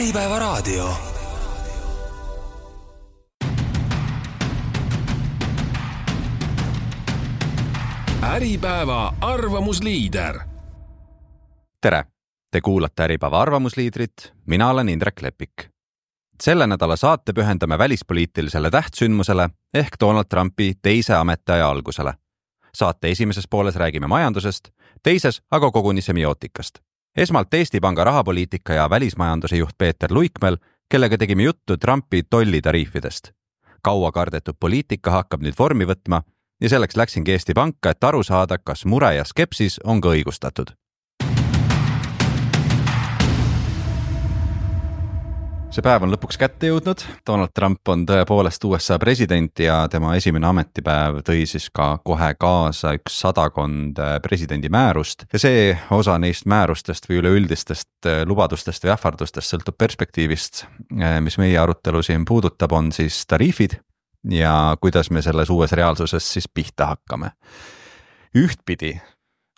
Äripäeva raadio. Äripäeva arvamusliider. Tere! Te kuulate Äripäeva arvamusliidrit, mina olen Indrek Lepik. Selle nädala saate pühendame välispoliitilisele tähtsündmusele ehk Donald Trumpi teise ametiaja algusele. Saate esimeses pooles räägime majandusest, teises aga koguni semiootikast. Esmalt Eesti Panga rahapoliitika ja välismajanduse juht Peeter Luikmäel, kellega tegime juttu Trumpi tollitariifidest. Kaua kardetud poliitika hakkab nüüd vormi võtma ja selleks läksingi Eesti Panka, et aru saada, kas mure ja skepsis on ka õigustatud. See päev on lõpuks kätte jõudnud. Donald Trump on tõepoolest USA president ja tema esimene ametipäev tõi siis ka kohe kaasa 100 presidendi määrust. Ja see osa neist määrustest või üleüldistest lubadustest või ähvardustest sõltub perspektiivist, mis meie arutelu siin puudutab, on siis tariifid ja kuidas me selles uues reaalsuses siis pihta hakkame. Ühtpidi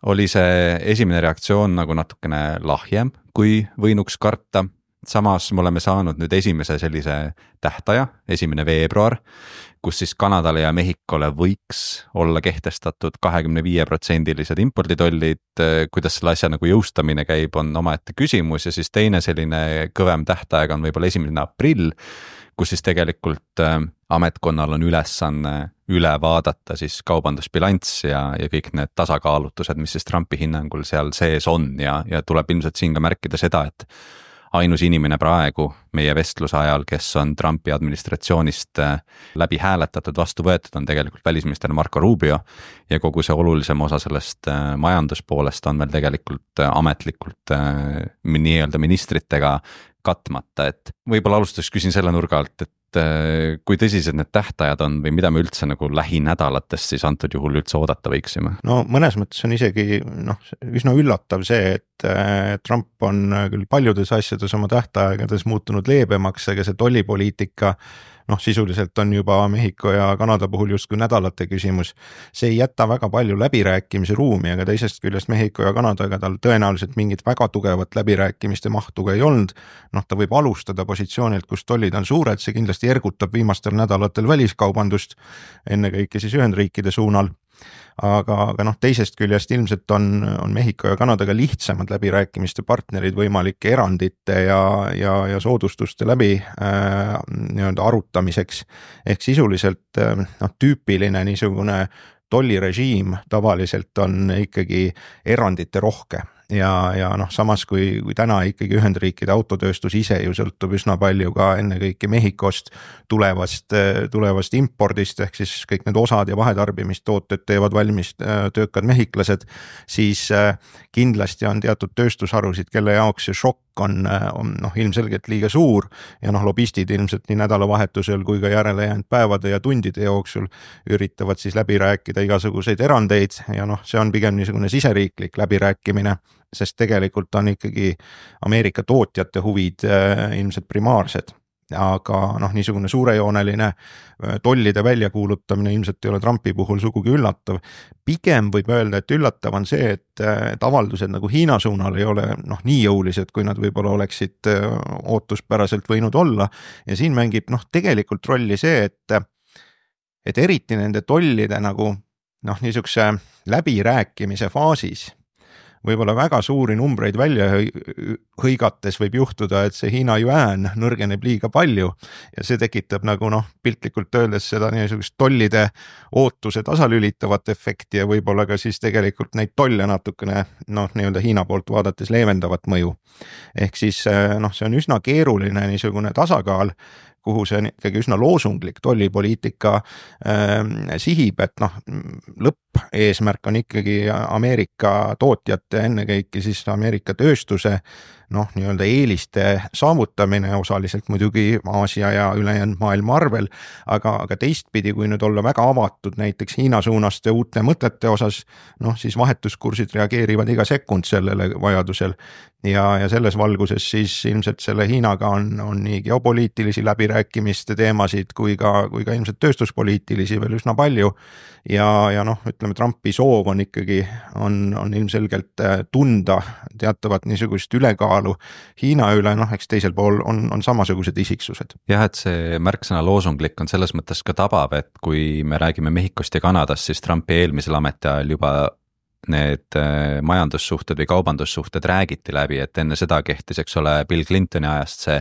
oli see esimene reaktsioon nagu natukene lahjem, kui võinuks karta. Samas me oleme saanud nüüd esimese sellise tähtaja, 1. veebruar, kus siis Kanadale ja Mehhikole võiks olla kehtestatud 25% imporditollid. Kuidas selle asja nagu jõustamine käib, on omaette küsimus ja siis teine selline kõvem tähtaeg on võib-olla 1. aprill, kus siis tegelikult ametkonnal on ülesanne üle vaadata siis kaubandusbilanss ja kõik need tasakaalutused, mis siis Trumpi hinnangul seal sees on ja tuleb ilmselt siin ka märkida seda, et ainus inimene praegu meie vestluse ajal, kes on Trumpi administratsioonist läbi hääletatud vastu võetud, on tegelikult välisminister Marco Rubio ja kogu see olulisem osa sellest majanduspoolest on veel tegelikult ametlikult nii-öelda ministritega katmata, et võib-olla alustuseks küsin selle nurga alt, et kui tõsised need tähtajad on või mida me üldse nagu lähinädalatest siis antud juhul üldse oodata võiksime? No mõnes mõttes on isegi üsna üllatav see, et Trump on küll paljudes asjades oma tähtaegades muutunud leebemaks, aga see tollipoliitika sisuliselt on juba Mehhiko ja Kanada puhul justkui nädalate küsimus. See ei jäta väga palju läbirääkimise ruumi, aga teisest küljest Mehhiko ja Kanadaga tal tõenäoliselt mingit väga tugevat läbirääkimiste mahtu ka ei olnud. Ta võib alustada positsioonilt, kus tollid on suured, see kindlasti ergutab viimastel nädalatel väliskaubandust, ennekõike siis Ühendriikide suunal. Aga teisest küljest ilmselt on Mehhiko ja Kanadaga lihtsamad läbirääkimiste partnerid võimalike erandite ja soodustuste läbi arutamiseks. Ehk sisuliselt tüüpiline niisugune tollirežiim tavaliselt on ikkagi erandite rohke. Ja samas kui täna ikkagi Ühendriikide autotööstus ise ju sõltub üsna palju ka ennekõike Mehhikost tulevast impordist, ehk siis kõik need osad ja vahetarbimistooted teevad valmis töökad mehhiklased, siis kindlasti on teatud tööstusharusid, kelle jaoks see šokk on ilmselgelt liiga suur ja lobistid ilmselt nii nädalavahetusel kui ka järele jäänud päevade ja tundide jooksul üritavad siis läbi rääkida igasuguseid erandeid ja see on pigem niisugune siseriiklik läbirääkimine, sest tegelikult on ikkagi Ameerika tootjate huvid ilmselt primaarsed. Aga niisugune suurejooneline tollide väljakuulutamine ilmselt ei ole Trumpi puhul sugugi üllatav. Pigem võib öelda, et üllatav on see, et avaldused nagu Hiina suunal ei ole nii jõulised, kui nad võib-olla oleksid ootuspäraselt võinud olla. Ja siin mängib tegelikult rolli see, et eriti nende tollide nagu niisuguse läbirääkimise faasis võib-olla väga suuri numbreid välja hõigates võib juhtuda, et see Hiina juään nõrgeneb liiga palju ja see tekitab nagu piltlikult öeldes seda niisugust tollide ootuse tasalülitavat efekti ja võib-olla ka siis tegelikult neid tolle natukene nii-öelda Hiina poolt vaadates leevendavat mõju. Ehk siis see on üsna keeruline niisugune tasakaal, kuhu see on ikkagi üsna loosunglik tollipoliitika sihib, et lõppeesmärk on ikkagi Ameerika tootjate, ennekõike siis Ameerika tööstuse nii-öelda eeliste saavutamine osaliselt muidugi Aasia ja ülejäänud maailma arvel, aga teistpidi, kui nüüd olla väga avatud näiteks Hiina suunast ja uute mõtete osas, siis vahetuskursid reageerivad iga sekund sellele vajadusel ja selles valguses siis ilmselt selle Hiinaga on nii geopoliitilisi läbirääkimiste teemasid kui ka ilmselt tööstuspoliitilisi veel üsna palju ja ütleme, Trumpi soov on ikkagi on ilmselgelt tunda teatavat niisugust ülekaalu ülekaalu. Hiina üle, noh, eks teisel pool on samasugused isiksused. Jah, et see märksõna loosunglik on selles mõttes ka tabav, et kui me räägime Mehhikost ja Kanadast, siis Trumpi eelmisel ametiajal juba need majandussuhted või kaubandussuhted räägiti läbi, et enne seda kehtis, eks ole, Bill Clintoni ajast see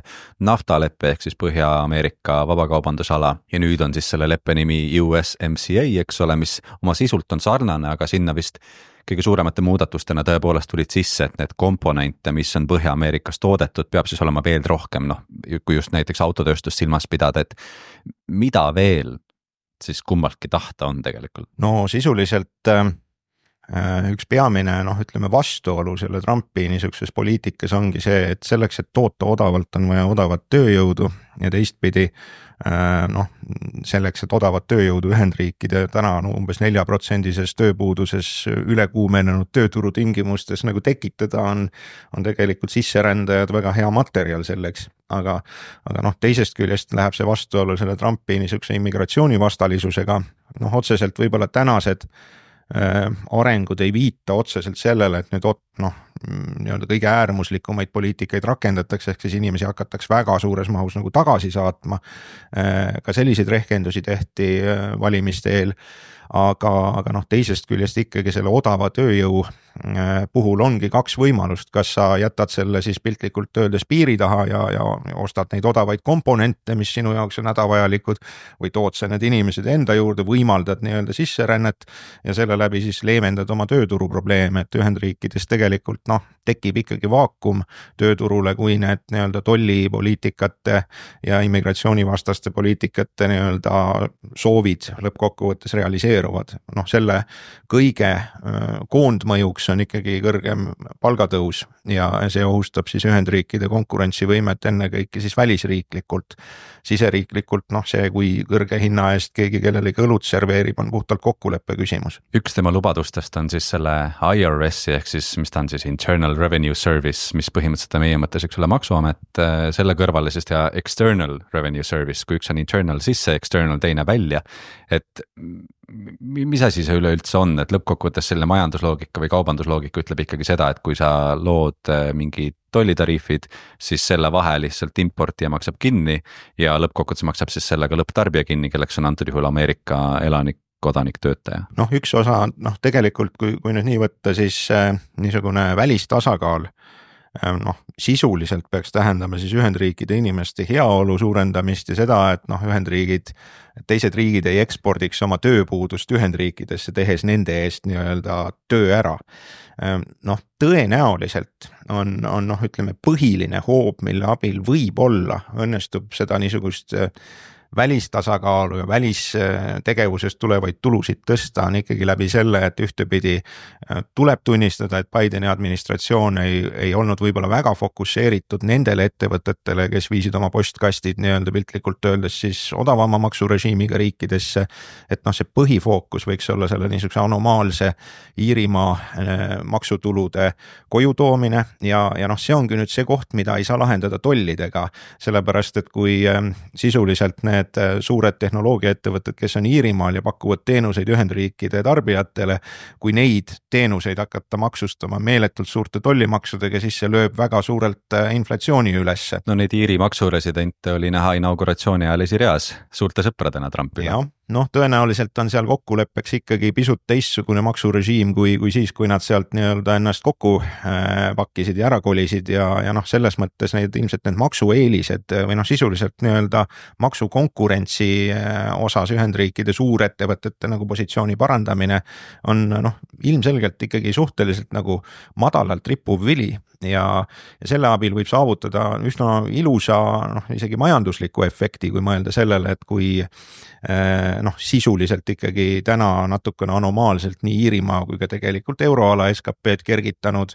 naftaleppe ehk siis Põhja-Ameerika vabakaubandusala ja nüüd on siis selle leppe nimi USMCA, eks ole, mis oma sisult on sarnane, aga sinna vist kõige suuremate muudatustena tõepoolest tulid sisse, et need komponente, mis on Põhja-Ameerikas toodetud, peab siis olema veel rohkem, noh, kui just näiteks autotööstust silmas pidada, et mida veel siis kummaltki tahta on tegelikult? No sisuliselt üks peamine, noh, ütleme vastuolu selle Trumpi niisuguses poliitikas ongi see, et selleks, et toota odavalt, on vaja odavat tööjõudu ja teistpidi noh, selleks, et odavat tööjõudu Ühendriikide täna umbes 4%-ses tööpuuduses ülekuumenenud tööturu tingimustes nagu tekitada on tegelikult sisserändajad väga hea materjal selleks. Aga noh, teisest küljest läheb see vastuolu selle Trumpi niisuguse immigratsioonivastalisusega, noh, otseselt võib-olla tänased arengud ei viita otseselt sellele, et nüüd nii-öelda kõige äärmuslikumaid poliitikaid rakendatakse, ehk siis inimesi hakatakse väga suures mahus nagu tagasi saatma. Ka selliseid rehkendusi tehti valimiste eel, aga noh, teisest küljest ikkagi selle odava tööjõu puhul ongi kaks võimalust, kas sa jätad selle siis piltlikult öeldes piiri taha ja ostad neid odavaid komponente, mis sinu jaoks on hädavajalikud, või tood sa need inimesed enda juurde, võimaldad nii-öelda sisserännet ja selle läbi siis leevendad oma tööturu probleeme, et Ühendriikides tegelikult noh, tekib ikkagi vaakum tööturule, kui need nii-öelda tollipoliitikate ja immigratsioonivastaste poliitikate nii-öelda soovid lõppkokkuvõttes realiseeruvad. Noh, selle kõige koondmõjuks on ikkagi kõrgem palgatõus ja see ohustab siis Ühendriikide konkurentsivõimet ennekõike siis välisriiklikult. Siseriiklikult, noh, see, kui kõrge hinna eest keegi kellelegi õlut serveerib, on puhtalt kokkuleppe küsimus. Üks tema lubadustest on siis selle IRS-i ehk siis, mis ta on siis Internal Revenue Service, mis põhimõtteliselt on meie mõttes, eks ole, maksuamet, selle kõrvale siis teha External Revenue Service, kui üks on internal sisse, external teine välja, et mis asi see üleüldse on, et lõppkokkuvõttes selle majandusloogika või kaubandusloogika ütleb ikkagi seda, et kui sa lood mingi tollitariifid, siis selle vahe lihtsalt importija maksab kinni ja lõppkokkuvõttes maksab siis sellega lõpptarbija kinni, kelleks on antud juhul Ameerika elanik, kodanik, töötaja. Noh, üks osa, noh, tegelikult kui nüüd nii võtta, siis niisugune välistasakaal, noh, sisuliselt peaks tähendama siis Ühendriikide inimeste heaolu suurendamist ja seda, et noh, teised riigid ei ekspordiks oma tööpuudust Ühendriikidesse, tehes nende eest nii-öelda töö ära. Noh, tõenäoliselt on noh, ütleme, põhiline hoob, mille abil võib-olla õnnestub seda niisugust välistasakaalu ja välistegevusest tulevaid tulusid tõsta on ikkagi läbi selle, et ühtepidi tuleb tunnistada, et Bideni administratsioon ei olnud võib-olla väga fokusseeritud nendele ettevõtetele, kes viisid oma postkastid nii-öelda piltlikult öeldes siis odavama maksurežiimiga riikidesse, et noh, see põhifookus võiks olla selle niisuguse anomaalse Iirimaa maksutulude koju toomine ja noh, see ongi nüüd see koht, mida ei saa lahendada tollidega, sellepärast et kui sisuliselt need suured tehnoloogiaettevõtted, kes on Iirimaal ja pakuvad teenuseid Ühendriikide tarbijatele, kui neid teenuseid hakata maksustama meeletult suurte tollimaksudega, siis see lööb väga suurelt inflatsiooni ülesse. No neid Iiri maksuresidente oli näha inauguratsiooni ajal esireas suurte sõpradena Trumpile. Jah, noh, tõenäoliselt on seal kokkuleppeks ikkagi pisut teistsugune maksurežiim kui siis, kui nad sealt nii-öelda ennast kokku pakkisid ja ära kolisid ja noh, selles mõttes ilmselt need maksueelised või noh, sisuliselt nii-öelda maksukonkurentsi osas Ühendriikide suurettevõtete nagu positsiooni parandamine on noh, ilmselgelt ikkagi suhteliselt nagu madalalt rippuv vili ja selle abil võib saavutada üsna ilusa, noh, isegi majandusliku efekti, kui mõelda sellele, et kui noh, sisuliselt ikkagi täna natukene anomaalselt nii Iirimaa kui ka tegelikult euroala SKP-d kergitanud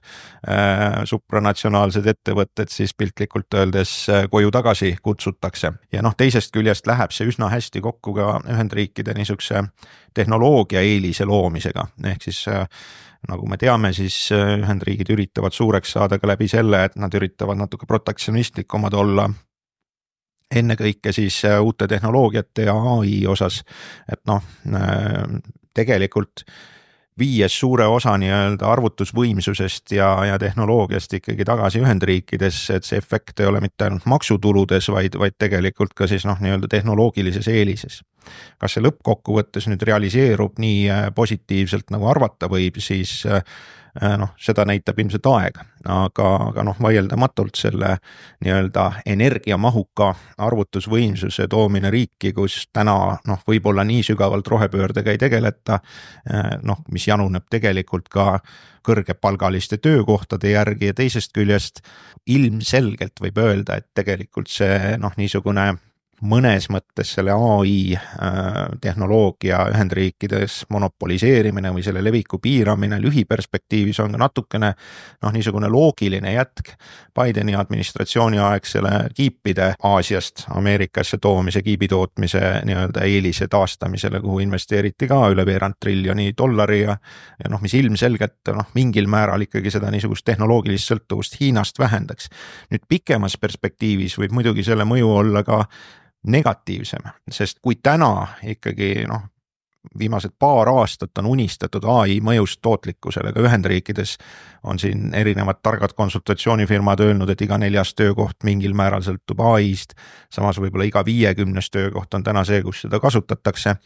supranatsionaalsed ettevõtted siis piltlikult öeldes koju tagasi kutsutakse. Ja noh, teisest küljest läheb see üsna hästi kokku ka Ühendriikide niisuguse tehnoloogia eelise loomisega, ehk siis nagu me teame, siis Ühendriigid üritavad suureks saada ka läbi selle, et nad üritavad natuke protektsionistlikumad olla ennekõike siis uute tehnoloogiate ja AI osas, et noh, tegelikult viies suure osa nii-öelda arvutusvõimsusest ja tehnoloogiast ikkagi tagasi Ühendriikidesse, et see efekt ei ole mitte ainult maksutuludes, vaid tegelikult ka siis nii-öelda tehnoloogilises eelises. Kas see lõppkokkuvõttes nüüd realiseerub nii positiivselt nagu arvata võib, siis seda näitab ilmselt aeg, aga vaieldamatult selle nii-öelda energiamahuka arvutusvõimsuse toomine riiki, kus täna võib-olla nii sügavalt rohepöördega ei tegeleta, mis januneb tegelikult ka kõrgepalgaliste töökohtade järgi ja teisest küljest ilmselgelt võib öelda, et tegelikult see niisugune mõnes mõttes selle AI tehnoloogia Ühendriikides monopoliseerimine või selle leviku piiramine lühiperspektiivis on ka natukene niisugune loogiline jätk Bideni administratsiooni aegsele kiipide Aasiast Ameerikasse toomise, kiibitootmise nii-öelda eelise taastamisele, kuhu investeeriti ka üle $1 trillioni ja mis ilmselgelt mingil määral ikkagi seda niisugust tehnoloogilist sõltuvust Hiinast vähendaks. Nüüd pikemas perspektiivis võib muidugi selle mõju olla ka negatiivsem, sest kui täna ikkagi viimased paar aastat on unistatud AI mõjust tootlikkusele ka Ühendriikides, on siin erinevad targad konsultatsioonifirmad öelnud, et iga 4. töökoht mingil määral sõltub AI-st, samas võib-olla iga 50. töökoht on täna see, kus seda kasutatakse,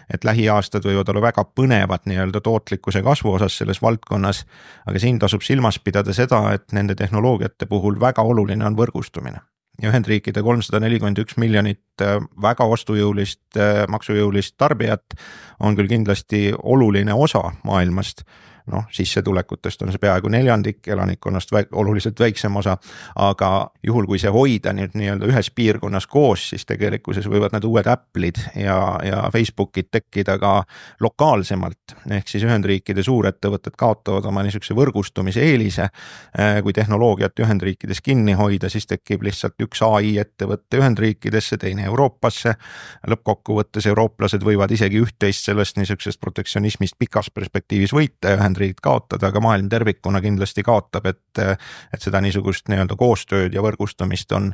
et lähiaastad võivad olla väga põnevad nii-öelda tootlikkuse kasvu osas selles valdkonnas, aga siin tasub silmas pidada seda, et nende tehnoloogiate puhul väga oluline on võrgustumine. Ja Ühendriikide 341 miljonit väga ostujõulist, maksujõulist tarbijat on küll kindlasti oluline osa maailmast, sissetulekutest on see peaaegu 1/4, elanikkonnast oluliselt väiksem osa, aga juhul kui see hoida nüüd nii-öelda ühes piirkonnas koos, siis tegelikkuses võivad need uued Apple'id ja Facebookid tekkida ka lokaalsemalt, ehk siis Ühendriikide suurettevõtted kaotavad oma niisuguse võrgustumise eelise, kui tehnoloogiat Ühendriikides kinni hoida, siis tekib lihtsalt üks AI ettevõtte Ühendriikidesse, teine Euroopasse, lõppkokkuvõttes eurooplased võivad isegi üht-teist sellest niisugusest protektsionismist pikas perspektiivis võita ja Ühendriigid kaotada, aga maailm tervikuna kindlasti kaotab, et seda niisugust nii-öelda koostööd ja võrgustumist on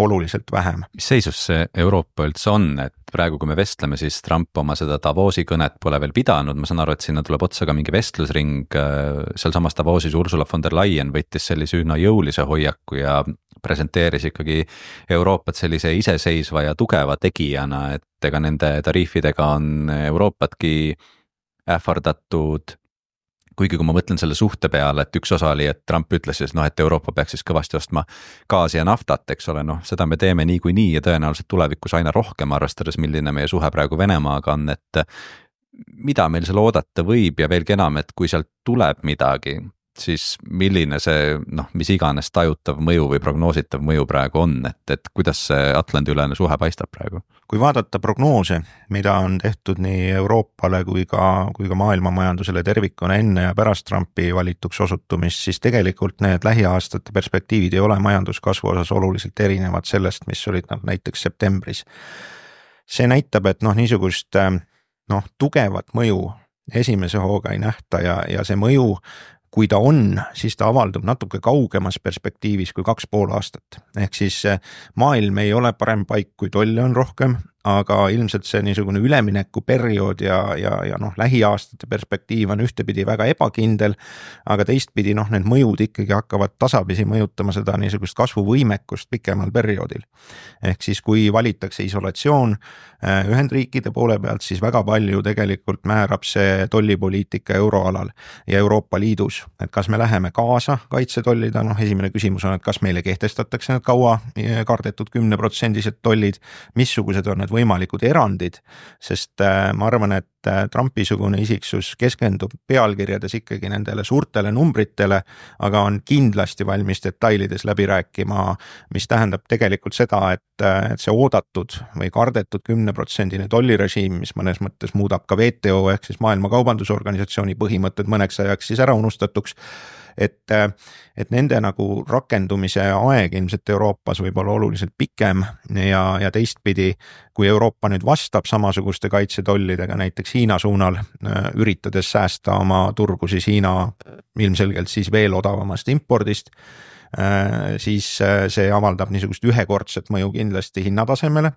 oluliselt vähem. Mis seisus see Euroopa üldse on, et praegu kui me vestleme, siis Trump oma seda Davosi kõnet pole veel pidanud, ma saan aru, et sinna tuleb otsa ka mingi vestlusring, seal samas Davosis Ursula von der Leyen võttis sellise üsna jõulise hoiaku ja presenteeris ikkagi Euroopat sellise iseseisva ja tugeva tegijana, et ega nende tariifidega on Euroopatki ähvardatud, kuigi kui ma mõtlen selle suhte peale, et üks osa oli, et Trump ütles siis, et Euroopa peaks siis kõvasti ostma gaasi ja naftat, eks ole, seda me teeme niikuinii ja tõenäoliselt tulevikus aina rohkem, arvestades milline meie suhe praegu Venemaaga on, et mida meil seal oodata võib ja veelgi enam, et kui sealt tuleb midagi, siis milline see, mis iganes tajutav mõju või prognoositav mõju praegu on, et kuidas see Atlandi-ülene suhe paistab praegu? Kui vaadata prognoose, mida on tehtud nii Euroopale kui ka maailmamajandusele tervikuna enne ja pärast Trumpi valituks osutumist, siis tegelikult need lähiaastate perspektiivid ei ole majanduskasvu osas oluliselt erinevad sellest, mis olid näiteks septembris. See näitab, et niisugust tugevat mõju esimese hooga ei nähta ja see mõju, kui ta on, siis ta avaldub natuke kaugemas perspektiivis kui 2,5 aastat. Ehk siis maailm ei ole parem paik, kui tolle on rohkem, aga ilmselt see niisugune üleminekuperiood ja lähiaastate perspektiiv on ühtepidi väga ebakindel, aga teistpidi need mõjud ikkagi hakkavad tasapisi mõjutama seda niisugust kasvuvõimekust pikemal perioodil. Ehk siis kui valitakse isolatsioon Ühendriikide poole pealt, siis väga palju tegelikult määrab see tollipoliitika euroalal ja Euroopa Liidus, et kas me läheme kaasa kaitsetollida, esimene küsimus on, et kas meile kehtestatakse need kaua kardetud 10% tollid, missugused on need võimalikud erandid, sest ma arvan, et Trumpi-sugune isiksus keskendub pealkirjades ikkagi nendele suurtele numbritele, aga on kindlasti valmis detailides läbi rääkima, mis tähendab tegelikult seda, et see oodatud või kardetud 10% tollirežiim, mis mõnes mõttes muudab ka WTO ehk siis Maailma Kaubandusorganisatsiooni põhimõtted mõneks ajaks siis ära unustatuks, et nende nagu rakendumise aeg ilmselt Euroopas võib olla oluliselt pikem ja teistpidi, kui Euroopa nüüd vastab samasuguste kaitsetollidega näiteks Hiina suunal, üritades säästa oma turgu siis Hiina ilmselgelt siis veel odavamast impordist, siis see avaldab niisugust ühekordset mõju kindlasti hinnatasemele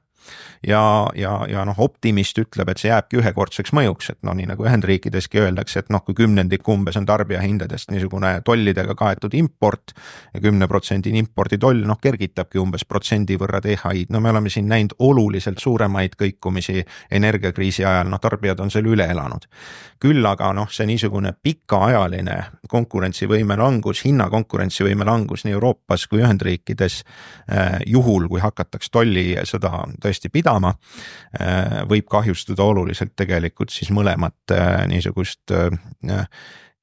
ja noh, optimist ütleb, et see jääbki ühekordseks mõjuks, et noh, nii nagu Ühendriikideski öeldakse, et noh, kui 10% umbes on tarbijahindadest niisugune tollidega kaetud import ja 10% imporditoll, noh, kergitabki umbes protsendi võrra THI-d. No me oleme siin näinud oluliselt suuremaid kõikumisi energiakriisi ajal, noh, tarbijad on selle üle elanud. Küll aga noh, see niisugune pikaajaline konkurentsivõime langus, hinna konkurentsivõime langus nii Euroopas kui Ühendriikides juhul, kui hakataks tollisõda tõesti pidama, võib kahjustada oluliselt tegelikult siis mõlemat niisugust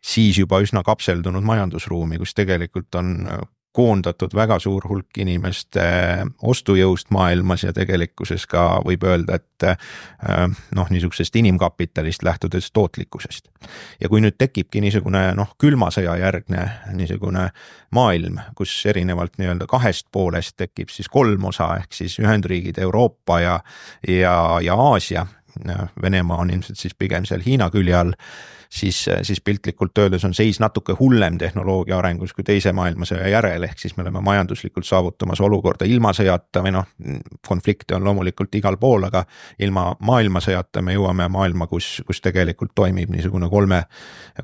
siis juba üsna kapseldunud majandusruumi, kus tegelikult on koondatud väga suur hulk inimeste ostujõust maailmas ja tegelikkuses ka võib öelda, et noh, niisugusest inimkapitalist lähtudes tootlikkusest. Ja kui nüüd tekibki niisugune noh, külmasõja järgne niisugune maailm, kus erinevalt nii-öelda kahest poolest tekib siis kolm osa, ehk siis Ühendriigid, Euroopa ja Aasia, Venemaa on ilmselt siis pigem seal Hiina külje all, siis piltlikult öeldes on seis natuke hullem tehnoloogia arengus kui teise maailmasõja järel, ehk siis me oleme majanduslikult saavutamas olukorda ilma sõjata või noh, konflikte on loomulikult igal pool, aga ilma maailmasõjata me jõuame maailma, kus tegelikult toimib niisugune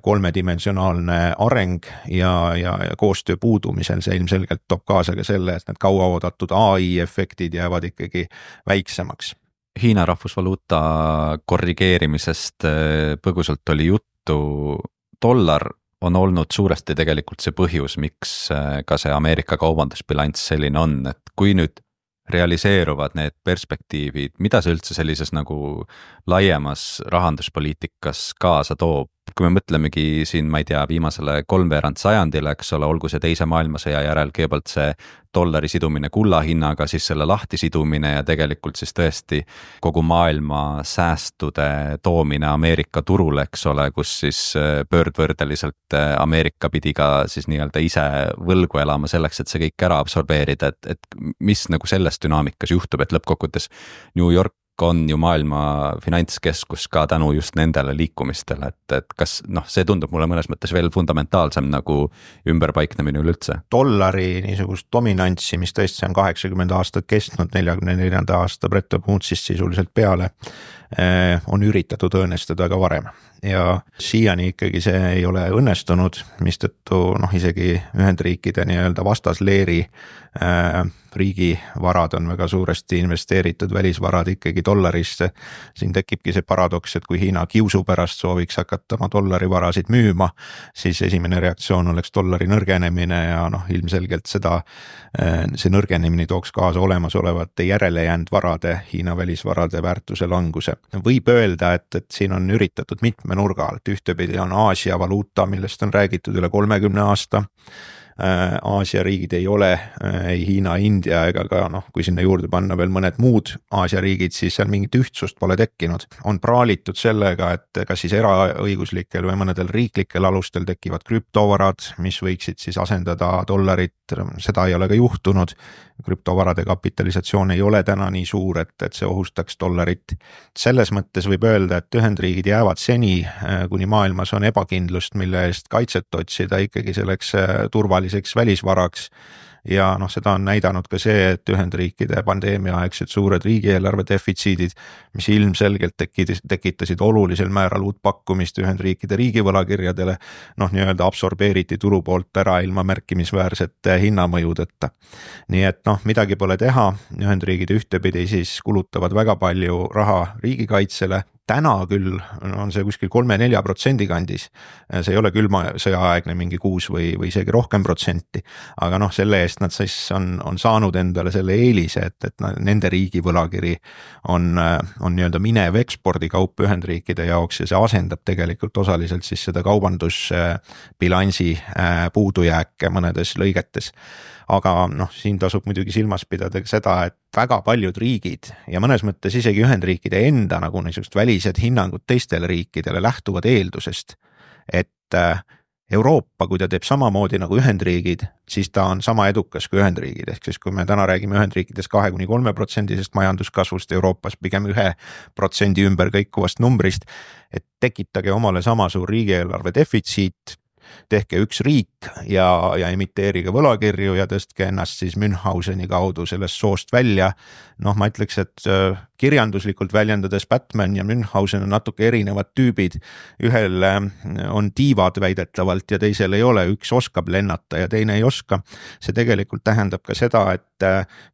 kolmedimensionaalne areng ja koostöö puudumisel see ilmselgelt toob kaasa ka selle, et need kauaoodatud AI efektid jäävad ikkagi väiksemaks. Hiina rahvusvaluuta korrigeerimisest põgusalt oli juttu, dollar on olnud suuresti tegelikult see põhjus, miks ka see Ameerika kaubandusbilanss selline on, et kui nüüd realiseeruvad need perspektiivid, mida see üldse sellises nagu laiemas rahanduspoliitikas kaasa toob? Kui me mõtlemegi siin, ma ei tea, viimasele 3/4 sajandile, eks ole, olgu see teise maailmasõja järel kõigepealt see dollari sidumine kulla hinnaga, siis selle lahti sidumine ja tegelikult siis tõesti kogu maailma säästude toomine Ameerika turule, eks ole, kus siis pöördvõrdeliselt Ameerika pidi ka siis nii-öelda ise võlgu elama selleks, et see kõik ära absorbeerida, et mis nagu selles dünaamikas juhtub, et lõppkokkuvõttes New York on ju maailma finantskeskus ka tänu just nendele liikumistele, et kas noh, see tundub mulle mõnes mõttes veel fundamentaalsem nagu ümberpaiknemine üleüldse. Dollari niisugust dominantsi, mis tõesti on 80 aastat kestnud, 44. aasta Bretton Woodsist sisuliselt peale, on üritatud õõnestada ka varem ja siiani ikkagi see ei ole õnnestunud, mistõttu noh, isegi Ühendriikide nii-öelda vastasleeri riigivarad on väga suuresti investeeritud välisvarad ikkagi dollarisse. Siin tekibki see paradoks, et kui Hiina kiusu pärast sooviks hakata oma dollarivarasid müüma, siis esimene reaktsioon oleks dollari nõrgenemine ja noh, ilmselgelt see nõrgenemine tooks kaasa olemasolevate järele jäänud varade, Hiina välisvarade väärtuse languse. Võib öelda, et siin on üritatud mitme nurga alt, ühtepidi on Aasia valuuta, millest on räägitud üle 30 aasta. Aasia riigid ei ole ei Hiina, India ega ka noh, kui sinna juurde panna veel mõned muud Aasia riigid, siis seal mingit ühtsust pole tekkinud. On praalitud sellega, et kas siis eraõiguslikel või mõnedel riiklikel alustel tekivad krüptovarad, mis võiksid siis asendada dollarit, seda ei ole ka juhtunud. Krüptovarade kapitalisatsioon ei ole täna nii suur, et see ohustaks dollarit. Selles mõttes võib öelda, et Ühendriigid jäävad seni, kuni maailmas on ebakindlust, mille eest kaitset otsida ikkagi selleks turvaliseks välisvaraks. Ja noh, seda on näidanud ka see, et Ühendriikide pandeemiaaegsed suured riigieelarve defitsiidid, mis ilmselgelt tekitasid olulisel määral uut pakkumist Ühendriikide riigivõlakirjadele, noh nii-öelda absorbeeriti turu poolt ära ilma märkimisväärsete hinnamõjudeta. Nii et noh, midagi pole teha, Ühendriigid ühtepidi siis kulutavad väga palju raha riigikaitsele, täna küll on see kuskil 3-4% kandis, see ei ole külma sõjaaegne mingi 6 või isegi rohkem protsenti, aga noh, selle eest nad siis on saanud endale selle eelise, et nende riigi võlakiri on nii-öelda minev ekspordikaup Ühendriikide jaoks ja see asendab tegelikult osaliselt siis seda kaubandusbilansi puudujääke mõnedes lõigetes. Aga noh, siin tasub muidugi silmas pidada seda, et väga paljud riigid ja mõnes mõttes isegi Ühendriikide enda nagu niisugust välised hinnangud teistele riikidele lähtuvad eeldusest, et Euroopa, kui ta teeb samamoodi nagu Ühendriigid, siis ta on sama edukas kui Ühendriigid, ehk siis kui me täna räägime Ühendriikides 2-3% majanduskasvust, Euroopas pigem 1% ümber kõikuvast numbrist, et tekitage omale sama suur riigieelarve defitsiit, tehke üks riik ja emiteerige võlakirju ja tõstke ennast siis Münchhauseni kaudu sellest soost välja. Noh, ma ütleks, et kirjanduslikult väljendades Batman ja Münchhausen on natuke erinevad tüübid. Ühel on tiivad väidetavalt ja teisel ei ole, üks oskab lennata ja teine ei oska. See tegelikult tähendab ka seda, et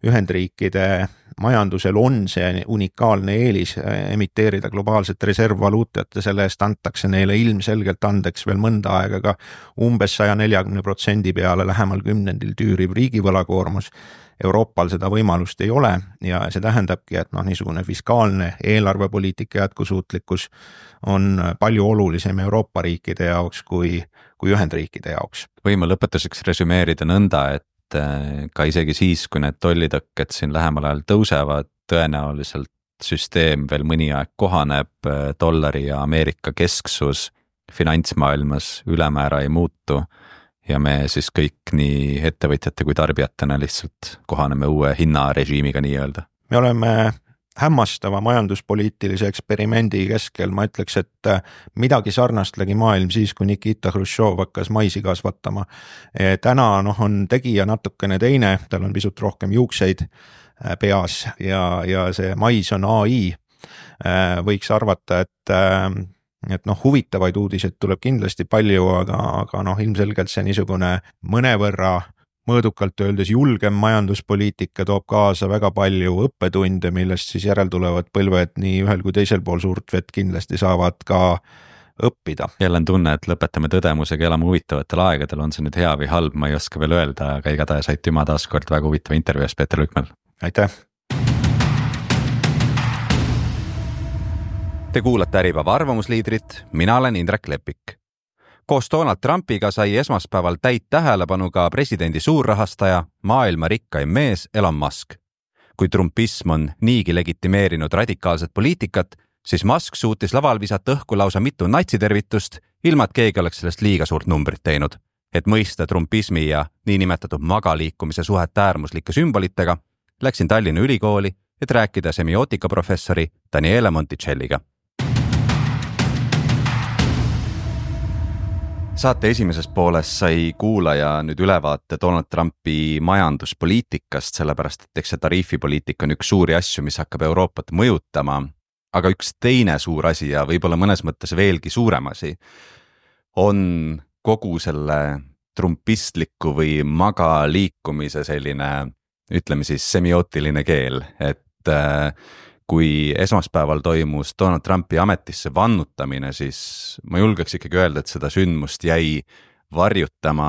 Ühendriikide majandusel on see unikaalne eelis emiteerida globaalset reservvaluutat ja selle eest antakse neile ilmselgelt andeks veel mõnda aega ka umbes 140% peale lähemal kümnendil tüüriv riigivõlakoormus. Euroopal seda võimalust ei ole ja see tähendabki, et niisugune fiskaalne eelarvepoliitika jätkusuutlikkus on palju olulisem Euroopa riikide jaoks kui Ühendriikide jaoks. Võime lõpetuseks resümeerida nõnda, et ka isegi siis, kui need tollitõkked siin lähemal ajal tõusevad, tõenäoliselt süsteem veel mõni aeg kohaneb, dollari ja Ameerika kesksus finantsmaailmas ülemäära ei muutu ja me siis kõik nii ettevõtjate kui tarbijatena lihtsalt kohaneme uue hinnarežiimiga nii-öelda. Me oleme hämmastava majanduspoliitilise eksperimendi keskel, ma ütleks, et midagi sarnast legi maailm siis, kui Nikita Hruštšov hakkas maisi kasvatama. Täna on tegija natukene teine, tal on pisut rohkem juukseid peas ja see mais on AI. Võiks arvata, et huvitavaid uudiseid tuleb kindlasti palju, aga ilmselgelt see niisugune mõnevõrra mõõdukalt öeldes julgem majanduspoliitika toob kaasa väga palju õppetunde, millest siis järeltulevad põlved nii ühel kui teisel pool suurt vett kindlasti saavad ka õppida. Jälle on tunne, et lõpetame tõdemusega, elame huvitavatel aegadel, on see nüüd hea või halb, ma ei oska veel öelda, aga igatahes aitüma taas kord väga huvitava intervjuus Peeter Lükmäel. Aitäh! Te kuulate Äripäeva arvamusliidrit, mina olen Indrek Lepik. Koos Donald Trumpiga sai esmaspäeval täit tähelepanu ka presidendi suurrahastaja, maailma rikkaim mees Elon Musk. Kui trumpism on niigi legitimeerinud radikaalset poliitikat, siis Musk suutis laval visata õhku lausa mitu natsitervitust, ilma et keegi oleks sellest liiga suurt numbrit teinud. Et mõista trumpismi ja niinimetatud magaliikumise suhet äärmuslike sümbolitega, läksin Tallinna Ülikooli, et rääkida semiootikaprofessori Daniele Monticelliga. Saate esimeses pooles sai kuulaja nüüd ülevaate Donald Trumpi majanduspoliitikast, sellepärast et eks see tariifipoliitika on üks suuri asju, mis hakkab Euroopat mõjutama, aga üks teine suur asi ja võib-olla mõnes mõttes veelgi suurem asi on kogu selle trumpistliku või magaliikumise selline, ütleme siis semiootiline keel, et kui esmaspäeval toimus Donald Trumpi ametisse vannutamine, siis ma julgeks ikkagi öelda, et seda sündmust jäi varjutama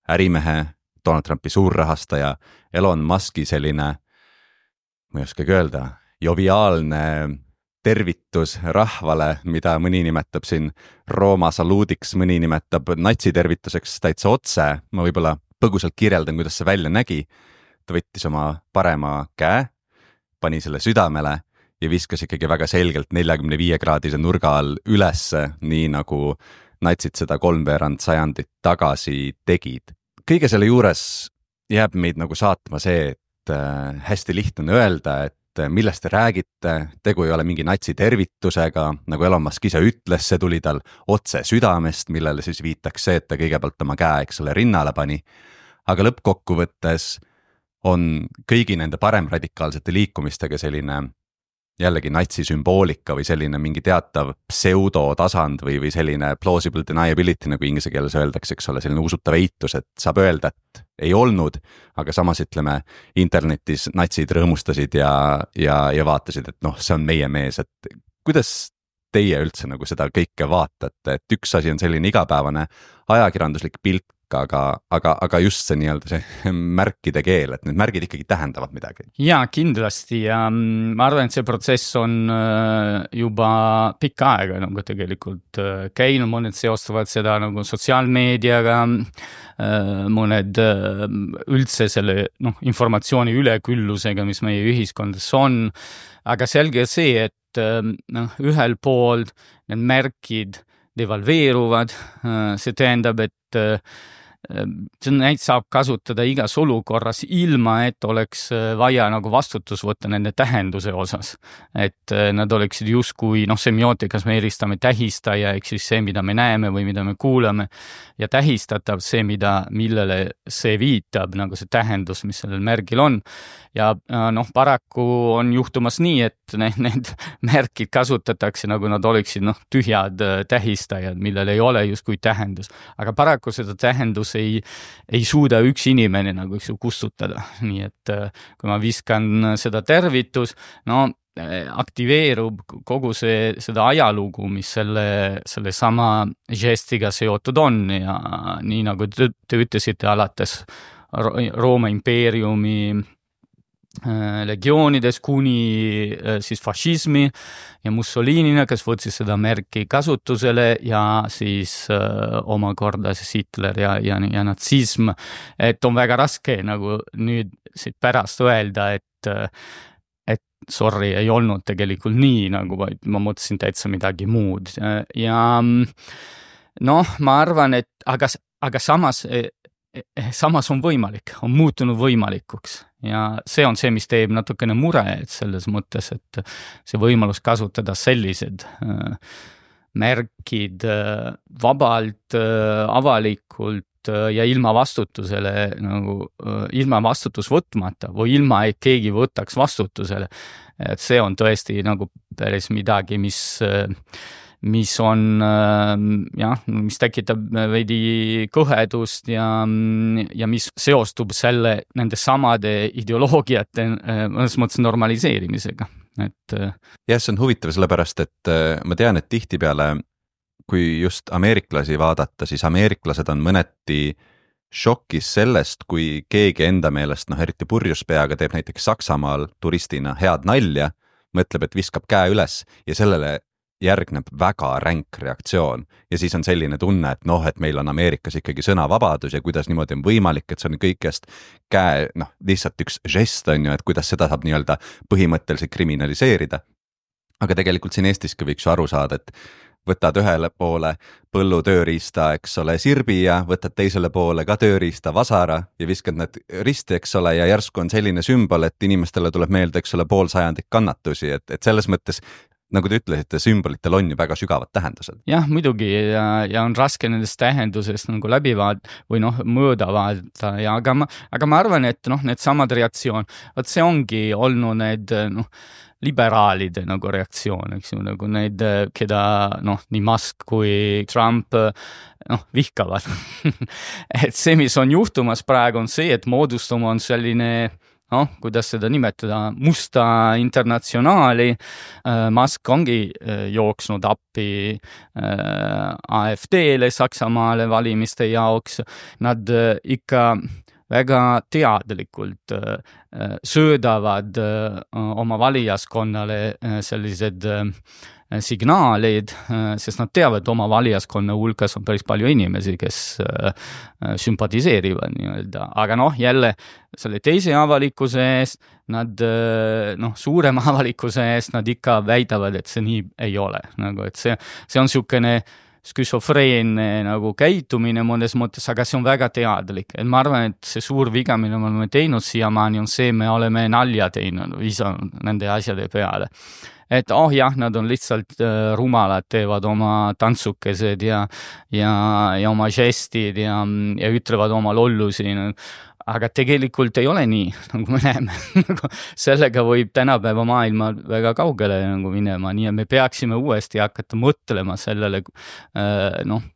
ärimehe, Donald Trumpi suurrahastaja Elon Muski selline, ma ei oskagi öelda, joviaalne tervitus rahvale, mida mõni nimetab siin Rooma saluudiks, mõni nimetab natsitervituseks täitsa otse, ma võib-olla põgusalt kirjeldan, kuidas see välja nägi. Ta võttis oma parema käe, pani selle südamele ja viskas ikkagi väga selgelt 45-kraadise nurga all ülesse, nii nagu natsid seda 3/4 sajandit tagasi tegid. Kõige selle juures jääb meid nagu saatma see, et hästi lihtne on öelda, et millest te räägite, tegu ei ole mingi natsitervitusega, nagu Elon Musk ise ütles, see tuli tal otse südamest, millele siis viitaks see, et ta kõigepealt oma käe, eks ole, rinnale pani. Aga lõppkokkuvõttes on kõigi nende paremradikaalsete liikumistega selline jällegi natsisümboolika või selline mingi teatav pseudotasand või selline plausible deniability, nagu inglise keeles öeldakse, eks ole, selline usutav eitus, et saab öelda, et ei olnud, aga samas ütleme, internetis natsid rõõmustasid ja vaatasid, et see on meie mees, et kuidas teie üldse nagu seda kõike vaatate, et üks asi on selline igapäevane ajakirjanduslik pilt, aga just see nii-öelda see märkide keel, et need märgid ikkagi tähendavad midagi. Jaa, kindlasti ja ma arvan, et see protsess on juba pikka aega nagu tegelikult käinud, mõned seostavad seda nagu sotsiaalmeediaga, mõned üldse selle informatsiooni üleküllusega, mis meie ühiskondas on, aga selge see, et ühel pool need märkid devalveeruvad, see tähendab, et neid saab kasutada igas olukorras ilma, et oleks vaja nagu vastutus võtta nende tähenduse osas. Et nad oleksid justkui, semiootikas me eristame tähistaja, ehk siis see, mida me näeme või mida me kuulame, ja tähistatav see, millele see viitab, nagu see tähendus, mis sellel märgil on. Ja paraku on juhtumas nii, et need märkid kasutatakse, nagu nad oleksid tühjad tähistajad, millel ei ole justkui tähendus. Aga paraku seda tähendus ei suuda üks inimene nagu kustutada. Nii et kui ma viskan seda tervitus, aktiveerub kogu seda ajalugu, mis selle sama žestiga seotud on ja nii nagu te ütlesite alates Rooma impeeriumi legioonides kuni siis fašismi ja Mussolinina, kes võtsis seda märki kasutusele ja siis omakorda siis Hitler ja natsism. Et on väga raske nagu nüüd siit pärast öelda, et sorry, ei olnud tegelikult nii, nagu vaid ma mõtlesin täitsa midagi muud. Ja ma arvan, et aga samas on võimalik, on muutunud võimalikuks ja see on see, mis teeb natukene mure, et selles mõttes, et see võimalus kasutada sellised märkid vabalt, avalikult ja ilma vastutusele, nagu ilma vastutus võtmata või ilma, et keegi võtaks vastutusele. Et see on tõesti nagu päris midagi, mis on mis tekitab veidi kõhedust ja mis seostub nende samade ideoloogiate mõnes mõttes normaliseerimisega. See on huvitav sellepärast, et ma tean, et tihtipeale, kui just ameeriklasi vaadata, siis ameeriklased on mõneti šokis sellest, kui keegi enda meelest, eriti purjuspeaga teeb näiteks Saksamaal turistina head nalja, mõtleb, et viskab käe üles ja sellele järgneb väga ränk reaktsioon ja siis on selline tunne, et meil on Ameerikas ikkagi sõnavabadus ja kuidas niimoodi on võimalik, et see on kõikest käe, lihtsalt üks žest on ju, et kuidas seda saab nii-öelda põhimõtteliselt kriminaliseerida. Aga tegelikult siin Eestiski võiks ju aru saada, et võtad ühele poole põllu tööriista, eks ole, sirbi ja võtad teisele poole ka tööriista vasara ja viskad need risti, eks ole, ja järsku on selline sümbol, et inimestele tuleb meelde, eks ole, 50 sajandit kannatusi, et selles mõttes nagu te ütlesite, sümbolitel on ju väga sügavad tähendused. Jah, muidugi ja on raske nendest tähendusest nagu läbi või mööda vaadata ja aga ma arvan, et need samad reaktsioon, see ongi olnud need liberaalide nagu reaktsioon, eks ju, nagu need, keda nii Musk kui Trump vihkavad. Et see, mis on juhtumas praegu on see, et moodustuma on selline kuidas seda nimetada, musta internatsionaali. Musk ongi jooksnud appi AfD-le Saksamaale valimiste jaoks. Nad ikka väga teadlikult söödavad oma valijaskonnale sellised signaalid, sest nad teavad, oma valijaskonna hulgas on päris palju inimesi, kes sümpatiseerivad nii-öelda. Aga jälle selle teise avalikkuse eest, nad suurema avalikkuse eest, nad ikka väidavad, et see nii ei ole. Nagu, et see on niisugune sküsofreenne nagu käitumine mõnes mõttes, aga see on väga teadlik. Et ma arvan, et see suur viga, mida me oleme teinud siiamaani, on see, me oleme nalja teinud, visanud nende asjade peale. Et jah, nad on lihtsalt rumalad, teevad oma tantsukesed ja oma žestid ja ütlevad oma lollusi. Aga tegelikult ei ole nii, nagu me näeme. Sellega võib tänapäeva maailma väga kaugele nagu minema, nii et me peaksime uuesti hakata mõtlema sellele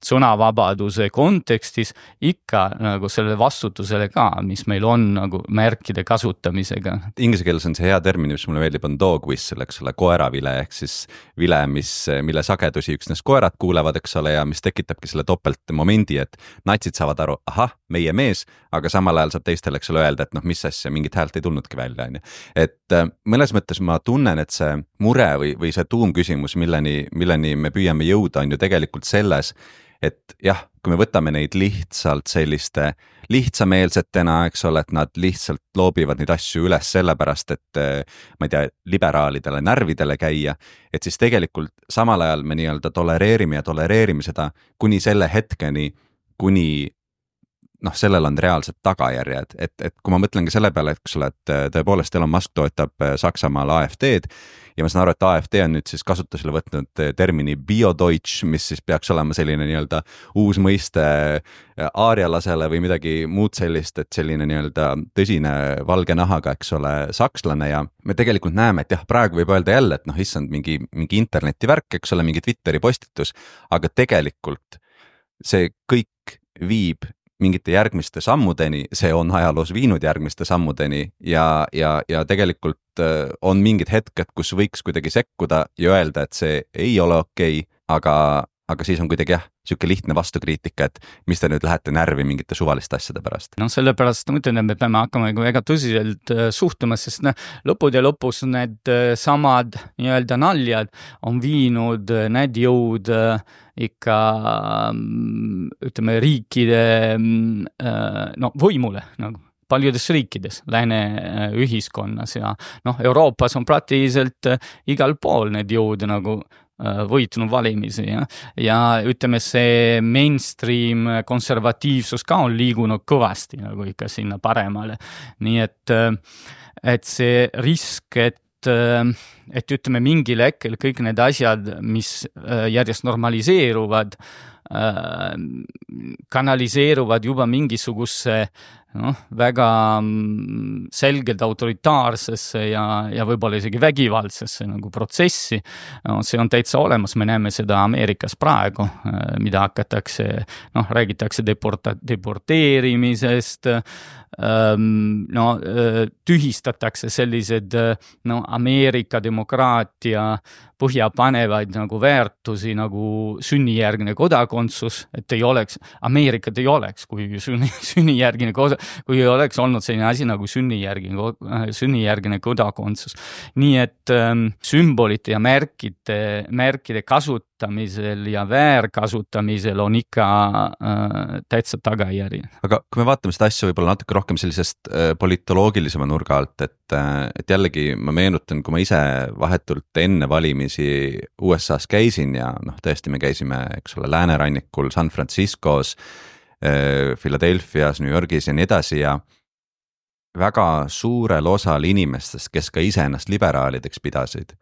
sõnavabaduse kontekstis ikka nagu selle vastutusele ka, mis meil on nagu märkide kasutamisega. Inglise keeles on see hea termin, mis mulle meeldib, on dog whistle, eks ole, koeravile, ehk siis vile, mille sagedusi üksnes koerad kuulevad, eks ole, ja mis tekitabki selle topeltmomendi, et natsid saavad aru, meie mees, aga samal ajal saab teistele, eks ole, öelda, et mis asja, mingit häält ei tulnudki välja. Et mõnes mõttes ma tunnen, et see mure või see tuumküsimus, milleni me püüame jõuda, on ju tegelikult selles, et jah, kui me võtame neid lihtsalt selliste lihtsameelsetena, eks ole, et nad lihtsalt loobivad neid asju üles sellepärast, et ma ei tea, liberaalidele närvidele käia, et siis tegelikult samal ajal me nii-öelda tolereerime seda kuni selle hetkeni, kuni noh, sellel on reaalsed tagajärjed, et kui ma mõtlen ka selle peale, et eks ole, et tõepoolest Elon Musk toetab Saksamaal AfD-d ja ma saan aru, et AfD on nüüd siis kasutusele võtnud termini Biodeutsch, mis siis peaks olema selline nii-öelda uus mõiste aarialasele või midagi muud sellist, et selline nii-öelda tõsine valge nahaga, eks ole, sakslane ja me tegelikult näeme, et jah, praegu võib öelda jälle, et noh, issand mingi internetivärk, eks ole, mingi Twitteri postitus, aga tegelikult see kõik viib mingite järgmiste sammudeni, see on ajaloos viinud järgmiste sammudeni ja tegelikult on mingid hetked, kus võiks kuidagi sekkuda ja öelda, et see ei ole okei, aga siis on kuidagi jah, siuke lihtne vastukriitika, et mis te nüüd lähete närvi mingite suvaliste asjade pärast. No sellepärast ma ütlen, et me peame hakkama väga tõsiselt suhtuma, sest lõppude lõpus need samad nii-öelda naljad on viinud need jõud ikka ütleme riikide võimule nagu paljudes riikides, lääne ühiskonnas ja Euroopas on praktiliselt igal pool need jõud nagu võitnud valimisi ja ütleme, see mainstream konservatiivsus ka on liigunud kõvasti nagu ikka sinna paremale. Nii et see risk, et ütleme mingil hetkel kõik need asjad, mis järjest normaliseeruvad, kanaliseeruvad juba mingisuguse väga selgelt autoritaarsesse ja võib-olla isegi vägivaldsesse nagu protsessi. See on täitsa olemas, me näeme seda Ameerikas praegu, mida hakatakse, räägitakse deporteerimisest, tühistatakse sellised Ameerika demokraatia põhjapanevaid nagu väärtusi nagu sünnijärgne kodakondsus, et ei oleks, Ameerikat ei oleks, kui sünnijärgne kui ei oleks olnud selline asi nagu sünnijärgne kodakondsus. Nii et sümbolite ja märkide kasutamisel ja väärkasutamisel on ikka täitsa tagajärgi. Aga kui me vaatame seda asja võib-olla natuke rohkem sellisest politoloogilisema nurga alt, et jällegi ma meenutan, kui ma ise vahetult enne valimisi USAs käisin ja tõesti me käisime, eks ole, läänerannikul San Franciscos, Philadelphias, New Yorgis ja nii edasi ja väga suurel osal inimestest, kes ka ise ennast liberaalideks pidasid,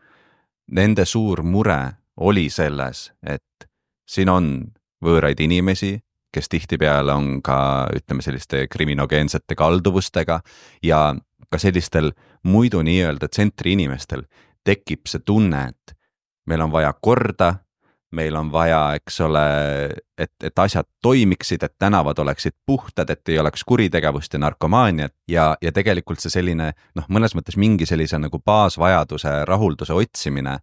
nende suur mure oli selles, et siin on võõraid inimesi, kes tihtipeale on ka, ütleme, selliste kriminogeensete kalduvustega ja ka sellistel muidu nii-öelda tsentri inimestel tekib see tunne, et meil on vaja korda, meil on vaja, eks ole, et asjad toimiksid, et tänavad oleksid puhtad, et ei oleks kuritegevust ja narkomaaniat ja tegelikult see selline, mõnes mõttes mingi sellise nagu baasvajaduse, rahulduse otsimine,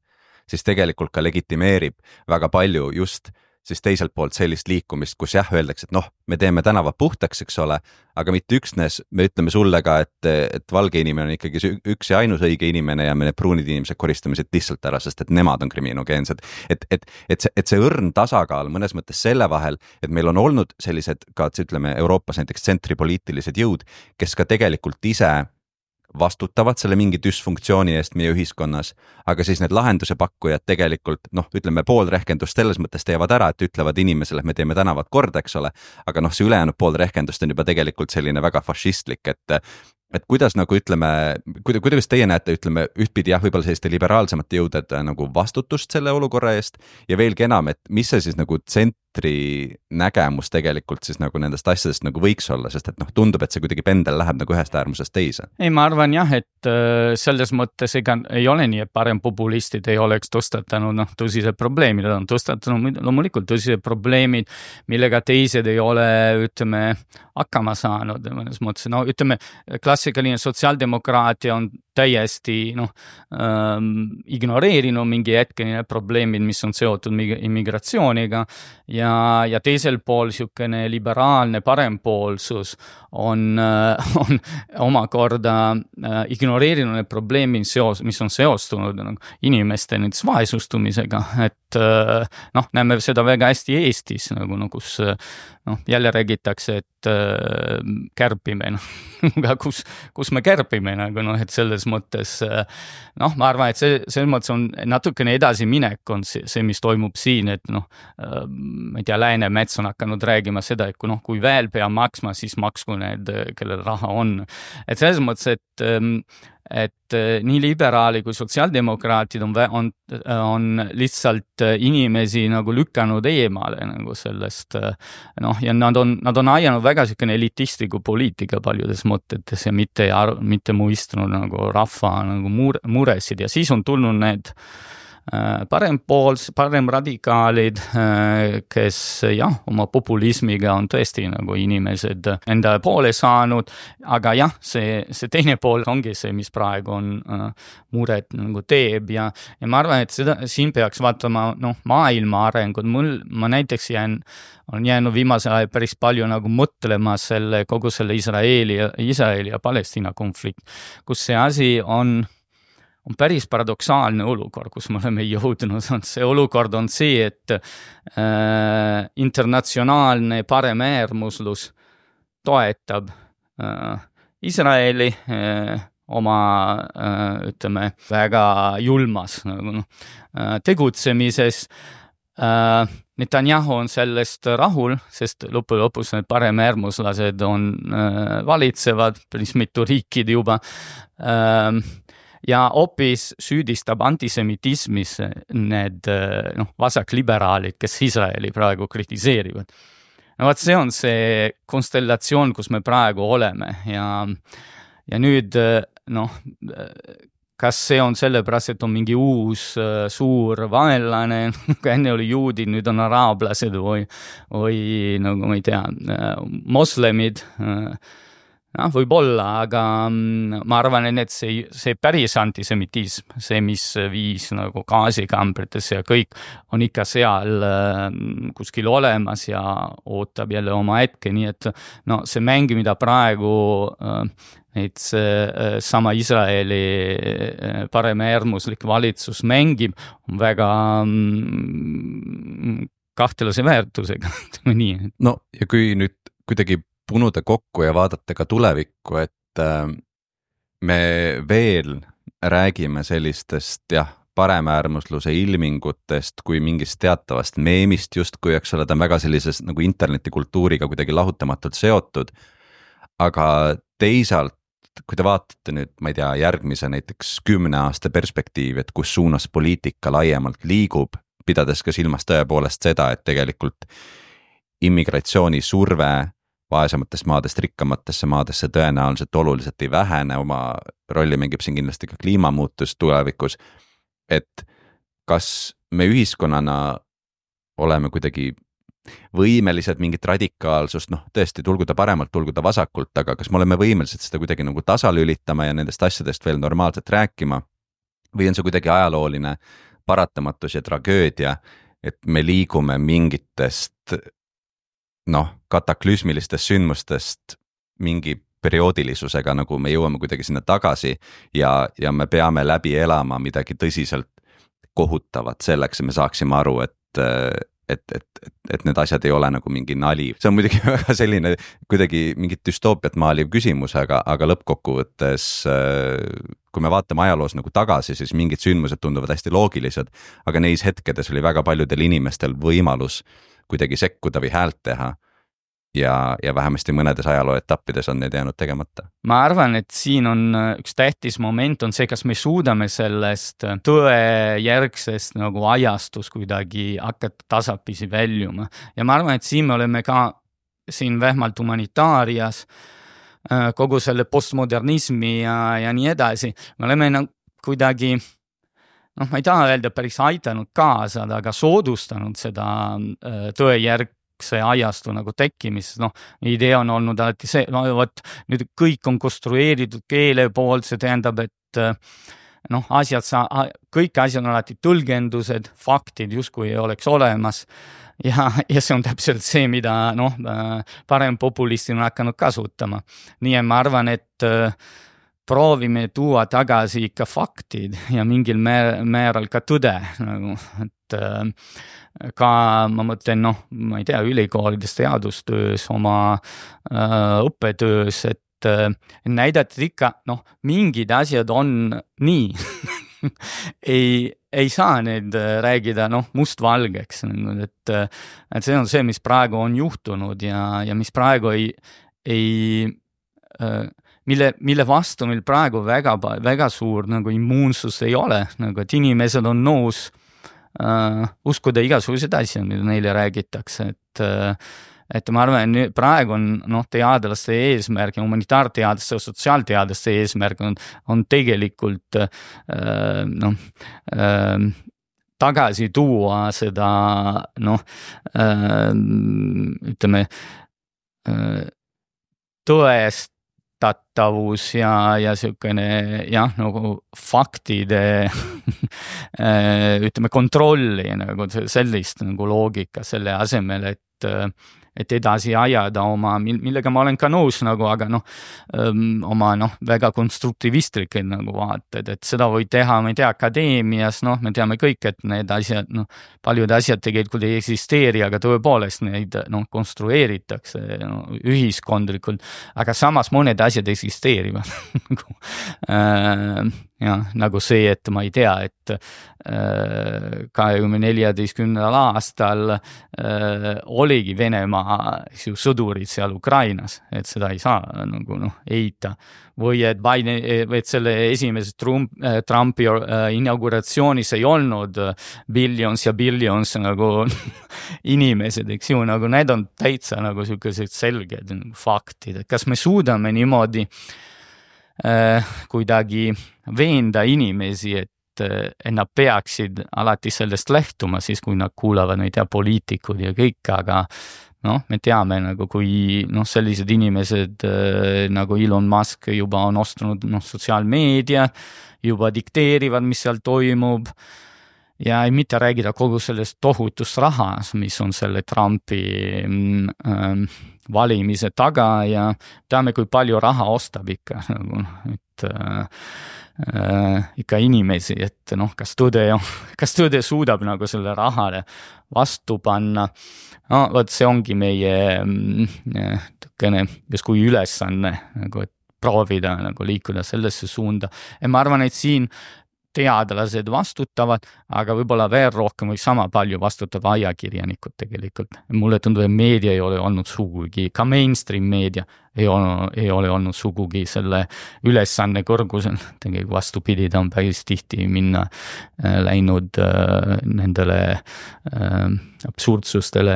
siis tegelikult ka legitimeerib väga palju just siis teiselt poolt sellist liikumist, kus jah, öeldakse, et me teeme tänavad puhtaks, eks ole, aga mitte üksnes, me ütleme sulle ka, et valge inimene on ikkagi üks ja ainus õige inimene ja me need pruunid inimesed koristame siit lihtsalt ära, sest et nemad on kriminogeensed. Et see õrn tasakaal mõnes mõttes selle vahel, et meil on olnud sellised ka, ütleme, Euroopas näiteks tsentripoliitilised jõud, kes ka tegelikult ise vastutavad selle mingi dysfunktsiooni eest meie ühiskonnas, aga siis need lahenduse pakkujad tegelikult, ütleme, pool rehkendust selles mõttes teevad ära, et ütlevad inimesele, et me teeme tänavad korda, eks ole, aga see ülejäänud pool rehkendust on juba tegelikult selline väga fašistlik, et kuidas nagu ütleme, kuidas teie näete, ütleme, ühtpidi jah, võib-olla selliste liberaalsemate jõuded nagu vastutust selle olukorra eest ja veelgi enam, et mis see siis nagu nägemus tegelikult siis nagu nendest asjadest nagu võiks olla, sest et tundub, et see kuidagi pendel läheb nagu ühest äärmusest teise. Ei, ma arvan jah, et selles mõttes ega ei ole nii, et parem populistid ei oleks tõstatanud tõsised probleemid, on tõstatanud loomulikult tõsised probleemid, millega teised ei ole, ütleme, hakkama saanud mõnes mõttes. Ütleme, klassikaline sotsiaaldemokraatia on täiesti ignoreerinud mingi hetkeline probleemid, mis on seotud immigratsiooniga ja teisel pool siukene liberaalne parempoolsus on omakorda ignoreerinud need probleemid, mis on seostunud inimeste näiteks vaesustumisega, et näeme seda väga hästi Eestis, kus jälle räägitakse, et kärpime, kus me kärpime, et selles mõttes noh, ma arvan, et selles mõttes on natukene edasiminek on see, mis toimub siin, et noh, ma ei tea, Läänemets on hakanud räägima seda, et kui veel pea maksma, siis maksku need, kellel raha on. Et selles mõttes, et nii liberaali kui sotsiaaldemokraatid on lihtsalt inimesi nagu lükanud eemale nagu sellest, noh, ja nad on ajanud väga selline elitistliku poliitika paljudes mõtetes ja mitte muistunud nagu rahva nagu muresid ja siis on tulnud need paremradikaalid, kes jah, oma populismiga on tõesti nagu inimesed enda poole saanud, aga jah, see teine pool ongi see, mis praegu on muret nagu teeb ja ma arvan, et siin peaks vaatama maailma arengud. Ma näiteks on jäänud viimasel ajal päris palju nagu mõtlema kogu selle Iisraeli ja Palestiina konflikt, kus see asi on päris paradoksaalne olukord, kus me oleme jõudnud. See olukord on see, et internatsionaalne paremäärmuslus toetab Iisraeli oma, ütleme, väga julmas tegutsemises. Netanyahu on sellest rahul, sest lõpus need paremäärmuslased on valitsevad, päris mitu riikid juba, ja hoopis süüdistab antisemitismis need vasakliberaalid, kes Iisraeli praegu kritiseerivad. Vaat see on see konstellatsioon, kus me praegu oleme ja nüüd kas see on sellepärast, et on mingi uus suur vaenlane, enne oli juudid, nüüd on araablased või nagu ma ei tea, moslemid, võib-olla, aga ma arvan, et see päris antisemitism, see, mis viis nagu gaasikambrites ja kõik on ikka seal kuskil olemas ja ootab jälle oma hetke, nii et see mäng, mida praegu sama Iisraeli paremäärmuslik valitsus mängib, on väga kahtlase väärtusega. Nii. No ja kui nüüd kuidagi punuda kokku ja vaadata ka tulevikku, et me veel räägime sellistest paremäärmusluse ilmingutest kui mingist teatavast meemist justkui, eks ole, ta on väga sellises nagu internetikultuuriga kuidagi lahutamatult seotud, aga teisalt, kui te vaatate nüüd, ma ei tea, järgmise näiteks 10 aasta perspektiivi, et kus suunas poliitika laiemalt liigub, pidades ka silmas tõepoolest seda, et tegelikult immigratsiooni surve vaesematest maadest rikkamatesse maadesse tõenäoliselt oluliselt ei vähene, oma rolli mängib siin kindlasti ka kliimamuutus tulevikus, et kas me ühiskonnana oleme kuidagi võimelised mingit radikaalsust, tõesti tulguda paremalt, tulguda vasakult, aga kas me oleme võimelised seda kuidagi nagu tasalülitama ja nendest asjadest veel normaalselt rääkima või on see kuidagi ajalooline paratamatus ja tragöödia, et me liigume mingitest kataklüsmilistest sündmustest mingi perioodilisusega, nagu me jõuame kuidagi sinna tagasi ja me peame läbi elama midagi tõsiselt kohutavat selleks, et me saaksime aru, et need asjad ei ole nagu mingi nali. See on muidugi väga selline kuidagi mingit düstoopiat maaliv küsimus, aga lõppkokkuvõttes, kui me vaatame ajaloos nagu tagasi, siis mingid sündmused tunduvad hästi loogilised, aga neis hetkedes oli väga paljudel inimestel võimalus kuidagi sekkuda või häält teha ja vähemasti mõnedes ajaloo etappides on need jäänud tegemata. Ma arvan, et siin on üks tähtis moment on see, kas me suudame sellest tõejärgsest nagu ajastus kuidagi hakata tasapisi väljuma. Ja ma arvan, et siin me oleme ka siin vähemalt humanitaarias kogu selle postmodernismi ja nii edasi. Me oleme kuidagi ma ei taha öelda päris aitanud kaasa, aga soodustanud seda tõejärgse ajastu nagu tekkimist. Idee on olnud alati see, nüüd kõik on konstrueeritud keele poolt, see tähendab, et kõik asjad on alati tõlgendused, faktid justkui ei oleks olemas ja see on täpselt see, mida parem populistid on hakanud kasutama. Nii et ma arvan, et proovime tuua tagasi ikka faktid ja mingil määral ka tõde. Et ka ma mõtlen, ma ei tea, ülikoolides teadustöös, oma õppetöös, et et näidata ikka, mingid asjad on nii ei saa need räägida mustvalgeks, et see on see, mis praegu on juhtunud ja mis praegu mille vastu meil praegu väga suur immuunsus ei ole, et inimesed on nõus uskuda igasuguseid asju, mida neile räägitakse, et ma arvan, et praegu on teadlaste eesmärk ja humanitaarteadlaste ja sotsiaalteadlaste eesmärk on tegelikult tagasi tuua seda ütleme tõestatavus ja selline faktide ütleme kontrolli sellist loogika selle asemel, et edasi ajada millega ma olen ka nõus, aga oma väga konstruktivistlikud vaated, et seda võib teha, ma ei tea, akadeemias, me teame kõik, et need asjad, paljud asjad tegelikult ei eksisteeri, aga tõepoolest neid konstrueeritakse ühiskondlikult, aga samas mõned asjad eksisteerivad nagu see, et ma ei tea, et 2014. aastal oligi Venemaa sõdurid seal Ukrainas, et seda ei saa eita. Või et selle esimeses Trumpi inauguratsioonis ei olnud billions ja billions inimesed, eks ju, need on täitsa sellised selged faktid, et kas me suudame niimoodi kuidagi veenda inimesi, et nad peaksid alati sellest lähtuma, siis kui nad kuulavad, ma ei tea, poliitikud ja kõik, aga me teame, kui sellised inimesed nagu Elon Musk juba on ostunud sotsiaalmeedia, juba dikteerivad, mis seal toimub ja ei mitte räägida kogu sellest tohutust rahas, mis on selle Trumpi valimise taga ja teame, kui palju raha ostab ikka, et ikka inimesi, et kas tõde suudab selle rahale vastu panna. Vot see ongi meie justkui ülesanne, et proovida liikuda sellesse suunda. Ja ma arvan, et siin teadlased vastutavad, aga võib-olla veel rohkem või sama palju vastutab ajakirjanikud tegelikult. Mulle tundub, et meedia ei ole olnud sugugi, ka mainstream meedia ei ole olnud sugugi selle ülesanne kõrgusel. Tegelikult vastupidi, ta on päris tihti läinud nendele absurdsustele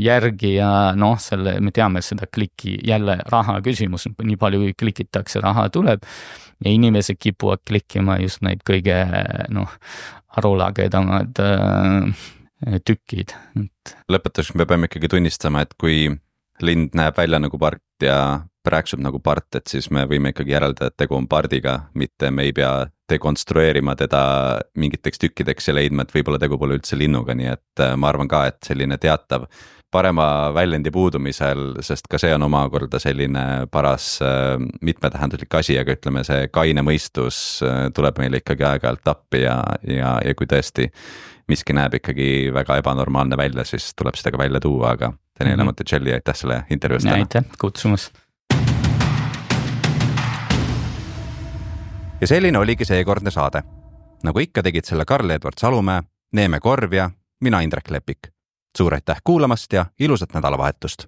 järgi ja me teame seda kliki, jälle raha küsimus, nii palju kui klikitakse, raha tuleb. Ja inimesed kipuvad klikkima just neid kõige arulagedamad tükid. Lõpetuseks me peame ikkagi tunnistama, et kui lind näeb välja nagu part ja rääksub nagu part, et siis me võime ikkagi järeldada, et tegu on pardiga, mitte me ei pea dekonstrueerima teda mingiteks tükkideks ja leidma, et võib-olla tegu pole üldse linnuga, nii et ma arvan ka, et selline teatav parema väljendi puudumisel, sest ka see on omakorda selline paras mitmetähenduslik asi, aga ütleme, see kaine mõistus tuleb meile ikkagi aeg-ajalt appi ja kui tõesti miski näeb ikkagi väga ebanormaalne välja, siis tuleb seda ka välja tuua, aga Daniel Monticelli, aitäh selle intervjuust. Aitäh kutsumast. Ja selline oligi seekordne saade. Nagu ikka tegid selle Karl-Edvard Salumäe, Neeme Korv ja mina Indrek Lepik. Suur aitäh kuulamast ja ilusat nädalavahetust!